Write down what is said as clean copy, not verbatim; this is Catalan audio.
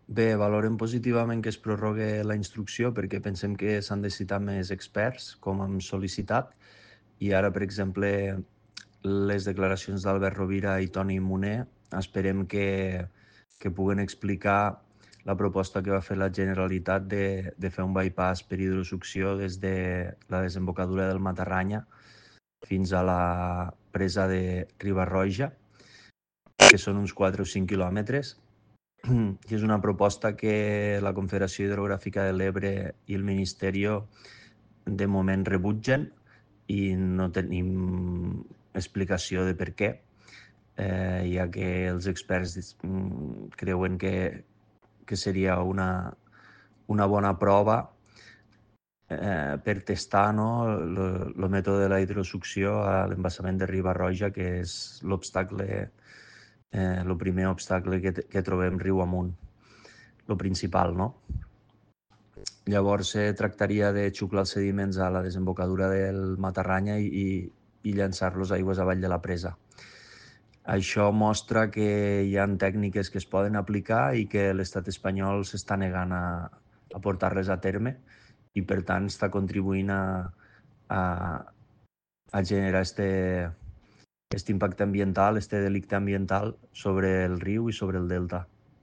Bé, valorem positivament que es prorrogue la instrucció perquè pensem que s'han de citar més experts, com hem sol·licitat, i ara, per exemple, les declaracions d'Albert Rovira i Toni Moner esperem que puguen explicar la proposta que va fer la Generalitat de fer un bypass per hidrosucció des de la desembocadura del Matarranya fins a la presa de Riba-roja, que són uns 4 o 5 quilòmetres, i és una proposta que la Confederació Hidrogràfica de l'Ebre i el Ministeri de moment rebutgen i no tenim explicació de per què, ja que els experts creuen que seria una bona prova per testar el mètode de la hidrosucció a l'embassament de Riba-roja, que és l'obstacle, el primer obstacle que trobem riu amunt, el principal, no? Llavors tractaria de xuclar els sediments a la desembocadura del Matarranya i llançar-los aigües avall de la presa. Això mostra que hi ha tècniques que es poden aplicar i que l'estat espanyol s'està negant a portar-les a terme i, per tant, està contribuint a generar este impacte ambiental, este delicte ambiental sobre el riu i sobre el delta.